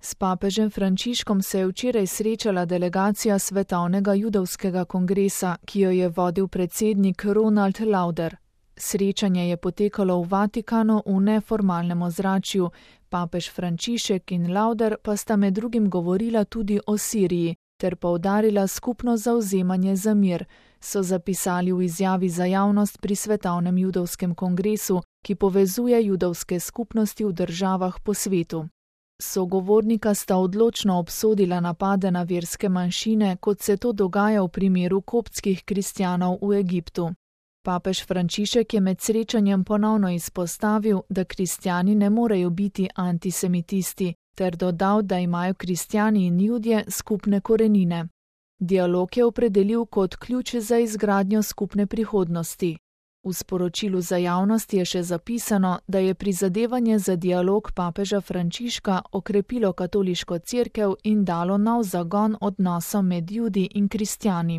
S papežem Frančiškom se je včeraj srečala delegacija Svetovnega judovskega kongresa, ki jo je vodil predsednik Ronald Lauder. Srečanje je potekalo v Vatikanu v neformalnem ozračju, papež Frančišek in Lauder pa sta med drugim govorila tudi o Siriji ter poudarila skupno zavzemanje za mir, so zapisali v izjavi za javnost pri Svetovnem judovskem kongresu, ki povezuje judovske skupnosti v državah po svetu. Sogovornika sta odločno obsodila napade na verske manjšine, kot se to dogaja v primeru koptskih kristjanov v Egiptu. Papež Frančišek je med srečanjem ponovno izpostavil, da kristjani ne morejo biti antisemitisti, ter dodal, da imajo kristjani in Judje skupne korenine. Dialog je opredelil kot ključ za izgradnjo skupne prihodnosti. V sporočilu za javnost je še zapisano, da je prizadevanje za dialog papeža Frančiška okrepilo katoliško cerkev in dalo nov zagon odnosom med Judi in kristjani.